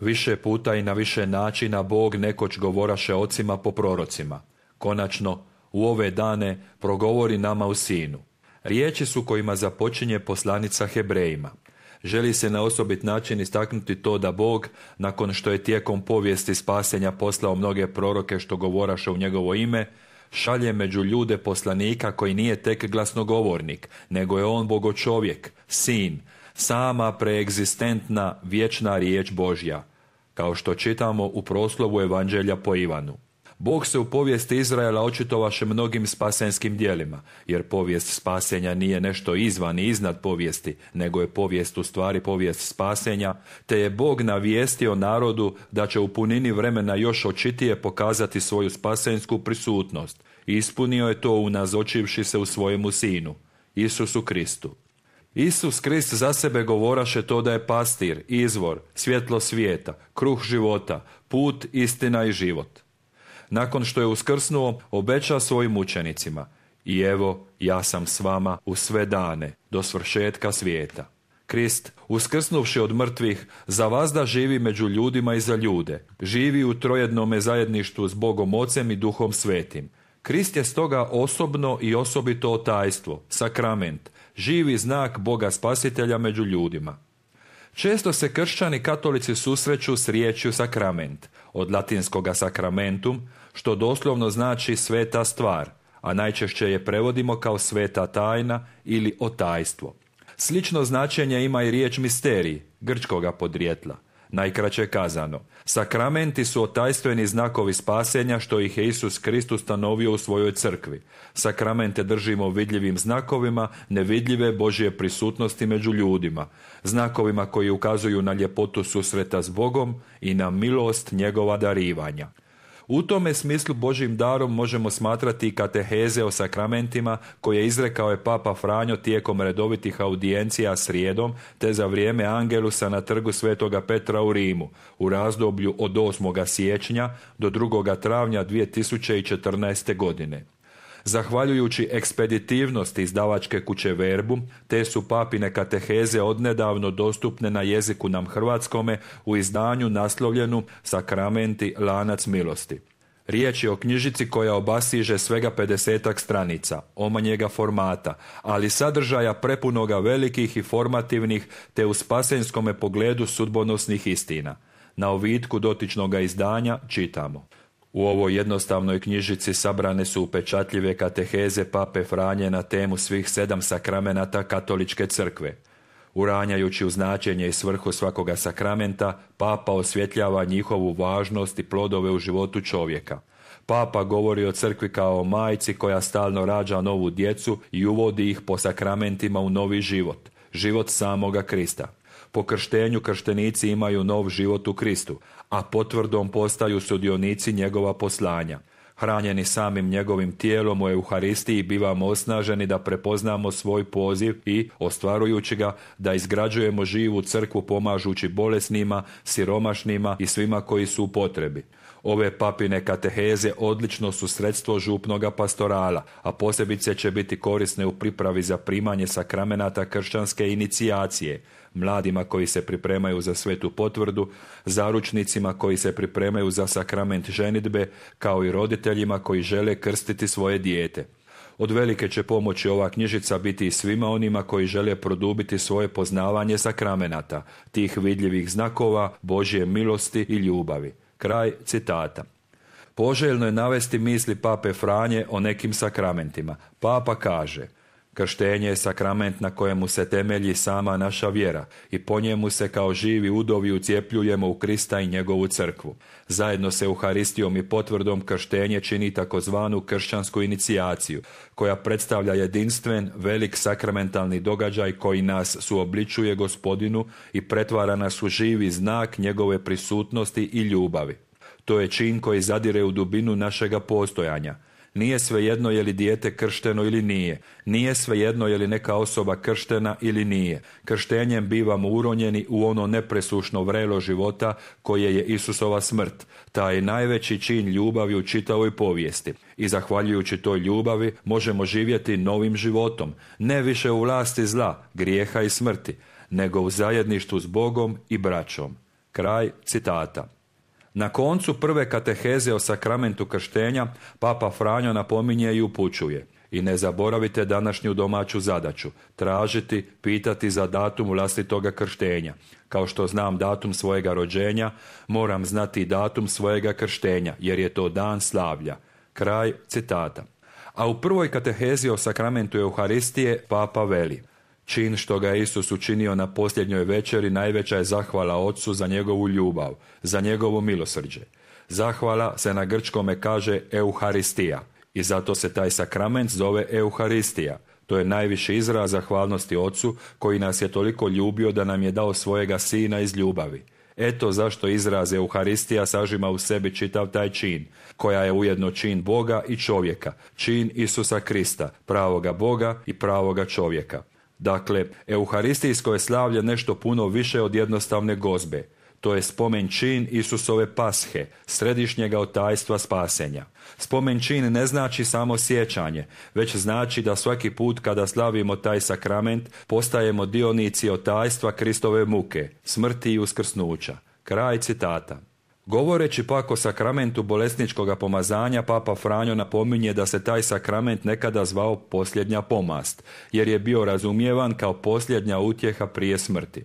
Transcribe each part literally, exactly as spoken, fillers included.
Više puta i na više načina Bog nekoć govoraše ocima po prorocima. Konačno, u ove dane progovori nama u Sinu. Riječi su kojima započinje poslanica Hebrejima. Želi se na osobit način istaknuti to da Bog, nakon što je tijekom povijesti spasenja poslao mnoge proroke što govoraše u njegovo ime, šalje među ljude poslanika koji nije tek glasnogovornik, nego je on bogočovjek, sin, sama preegzistentna vječna riječ Božja, kao što čitamo u proslovu Evanđelja po Ivanu. Bog se u povijesti Izraela očitovaše mnogim spasenskim djelima, jer povijest spasenja nije nešto izvan i iznad povijesti, nego je povijest u stvari povijest spasenja, te je Bog navijestio narodu da će u punini vremena još očitije pokazati svoju spasensku prisutnost. I ispunio je to unazočivši se u svojemu Sinu, Isusu Kristu. Isus Krist za sebe govoraše to da je pastir, izvor, svjetlo svijeta, kruh života, put, istina i život. Nakon što je uskrsnuo, obeća svojim učenicima: i evo, ja sam s vama u sve dane, do svršetka svijeta. Krist, uskrsnuvši od mrtvih, zavazda živi među ljudima i za ljude. Živi u trojednome zajedništvu s Bogom Ocem i Duhom Svetim. Krist je stoga osobno i osobito tajstvo, sakrament, živi znak Boga Spasitelja među ljudima. Često se kršćani katolici susreću s riječju sakrament, od latinskoga sacramentum, što doslovno znači sveta stvar, a najčešće je prevodimo kao sveta tajna ili otajstvo. Slično značenje ima i riječ misterij, grčkoga podrijetla. Najkraće kazano, sakramenti su otajstveni znakovi spasenja što ih je Isus Krist ustanovio u svojoj crkvi. Sakramente držimo vidljivim znakovima nevidljive Božje prisutnosti među ljudima, znakovima koji ukazuju na ljepotu susreta s Bogom i na milost njegova darivanja. U tome smislu Božjim darom možemo smatrati i kateheze o sakramentima koje izrekao je Papa Franjo tijekom redovitih audijencija srijedom te za vrijeme Angelusa na trgu Svetoga Petra u Rimu u razdoblju od osmog siječnja do drugog travnja dvije tisuće četrnaeste. godine. Zahvaljujući ekspeditivnosti izdavačke kuće Verbum, te su papine kateheze odnedavno dostupne na jeziku nam hrvatskome u izdanju naslovljenu Sakramenti, lanac milosti. Riječ je o knjižici koja obasiže svega pedesetak stranica, omanjega formata, ali sadržaja prepunoga velikih i formativnih te u spasenskome pogledu sudbonosnih istina. Na ovitku dotičnoga izdanja čitamo: u ovoj jednostavnoj knjižici sabrane su upečatljive kateheze Pape Franje na temu svih sedam sakramenata katoličke crkve. Uranjajući u značenje i svrhu svakoga sakramenta, Papa osvjetljava njihovu važnost i plodove u životu čovjeka. Papa govori o crkvi kao o majci koja stalno rađa novu djecu i uvodi ih po sakramentima u novi život, život samoga Krista. Po krštenju krštenici imaju nov život u Kristu, a potvrdom postaju sudionici njegova poslanja. Hranjeni samim njegovim tijelom u Euharistiji bivamo osnaženi da prepoznamo svoj poziv i, ostvarujući ga, da izgrađujemo živu crkvu pomažući bolesnima, siromašnima i svima koji su u potrebi. Ove papine kateheze odlično su sredstvo župnoga pastorala, a posebice će biti korisne u pripravi za primanje sakramenata kršćanske inicijacije, mladima koji se pripremaju za svetu potvrdu, zaručnicima koji se pripremaju za sakrament ženidbe, kao i roditeljima koji žele krstiti svoje dijete. Od velike će pomoći ova knjižica biti i svima onima koji žele produbiti svoje poznavanje sakramenata, tih vidljivih znakova Božje milosti i ljubavi. Kraj citata. Poželjno je navesti misli Pape Franje o nekim sakramentima. Papa kaže: krštenje je sakrament na kojemu se temelji sama naša vjera i po njemu se kao živi udovi ucijepljujemo u Krista i njegovu crkvu. Zajedno se Euharistijom i potvrdom krštenje čini takozvanu kršćansku inicijaciju, koja predstavlja jedinstven, velik sakramentalni događaj koji nas suobličuje Gospodinu i pretvara nas u živi znak njegove prisutnosti i ljubavi. To je čin koji zadire u dubinu našega postojanja. Nije svejedno je li dijete kršteno ili nije. Nije svejedno je li neka osoba krštena ili nije. Krštenjem bivamo uronjeni u ono nepresušno vrelo života koje je Isusova smrt. Taj je najveći čin ljubavi u čitavoj povijesti. I zahvaljujući toj ljubavi možemo živjeti novim životom. Ne više u vlasti zla, grijeha i smrti, nego u zajedništvu s Bogom i braćom. Kraj citata. Na koncu prve kateheze o sakramentu krštenja Papa Franjo napominje i upućuje: i ne zaboravite današnju domaću zadaću, tražiti, pitati za datum vlastitoga krštenja. Kao što znam datum svojega rođenja, moram znati datum svojega krštenja, jer je to dan slavlja. Kraj citata. A u prvoj katehezi o sakramentu Euharistije Papa veli: čin što ga je Isus učinio na posljednjoj večeri najveća je zahvala Otcu za njegovu ljubav, za njegovo milosrđe. Zahvala se na grčkome kaže Euharistija i zato se taj sakrament zove Euharistija. To je najviši izraz zahvalnosti Otcu koji nas je toliko ljubio da nam je dao svojega Sina iz ljubavi. Eto zašto izraz Euharistija sažima u sebi čitav taj čin, koja je ujedno čin Boga i čovjeka, čin Isusa Krista, pravoga Boga i pravoga čovjeka. Dakle, euharistijsko je slavlje nešto puno više od jednostavne gozbe. To je spomen čin Isusove pashe, središnjega otajstva spasenja. Spomen čin ne znači samo sjećanje, već znači da svaki put kada slavimo taj sakrament postajemo dionici otajstva Kristove muke, smrti i uskrsnuća. Kraj citata. Govoreći pak o sakramentu bolesničkoga pomazanja, Papa Franjo napominje da se taj sakrament nekada zvao posljednja pomast, jer je bio razumijevan kao posljednja utjeha prije smrti.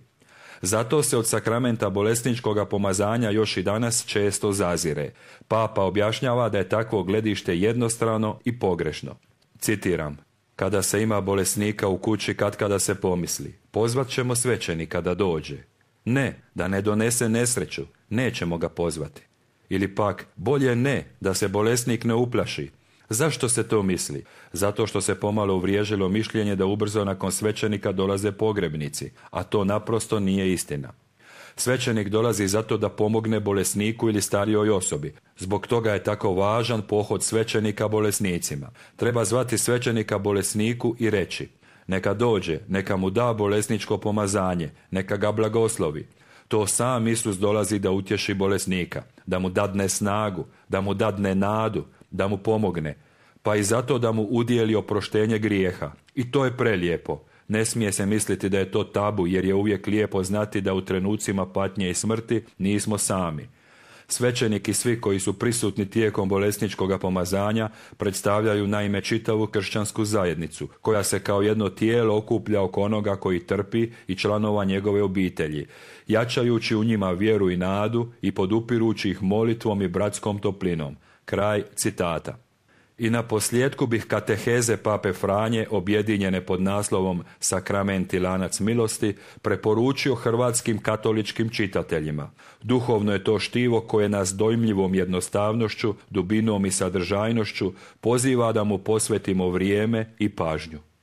Zato se od sakramenta bolesničkoga pomazanja još i danas često zazire. Papa objašnjava da je takvo gledište jednostrano i pogrešno. Citiram: kada se ima bolesnika u kući, katkada se pomisli, pozvat ćemo svećenika da dođe. Ne, da ne donese nesreću, nećemo ga pozvati. Ili pak, bolje ne, da se bolesnik ne uplaši. Zašto se to misli? Zato što se pomalo uvriježilo mišljenje da ubrzo nakon svećenika dolaze pogrebnici, a to naprosto nije istina. Svećenik dolazi zato da pomogne bolesniku ili starijoj osobi. Zbog toga je tako važan pohod svećenika bolesnicima. Treba zvati svećenika bolesniku i reći: neka dođe, neka mu da bolesničko pomazanje, neka ga blagoslovi. To sam Isus dolazi da utješi bolesnika, da mu dadne snagu, da mu dadne nadu, da mu pomogne, pa i zato da mu udijeli oproštenje grijeha. I to je prelijepo. Ne smije se misliti da je to tabu, jer je uvijek lijepo znati da u trenucima patnje i smrti nismo sami. Svećenik i svi koji su prisutni tijekom bolesničkoga pomazanja predstavljaju naime čitavu kršćansku zajednicu, koja se kao jedno tijelo okuplja oko onoga koji trpi i članova njegove obitelji, jačajući u njima vjeru i nadu i podupirući ih molitvom i bratskom toplinom. Kraj citata. I na posljedku bih kateheze Pape Franje, objedinjene pod naslovom Sakrament i lanac milosti, preporučio hrvatskim katoličkim čitateljima. Duhovno je to štivo koje nas dojmljivom jednostavnošću, dubinom i sadržajnošću poziva da mu posvetimo vrijeme i pažnju.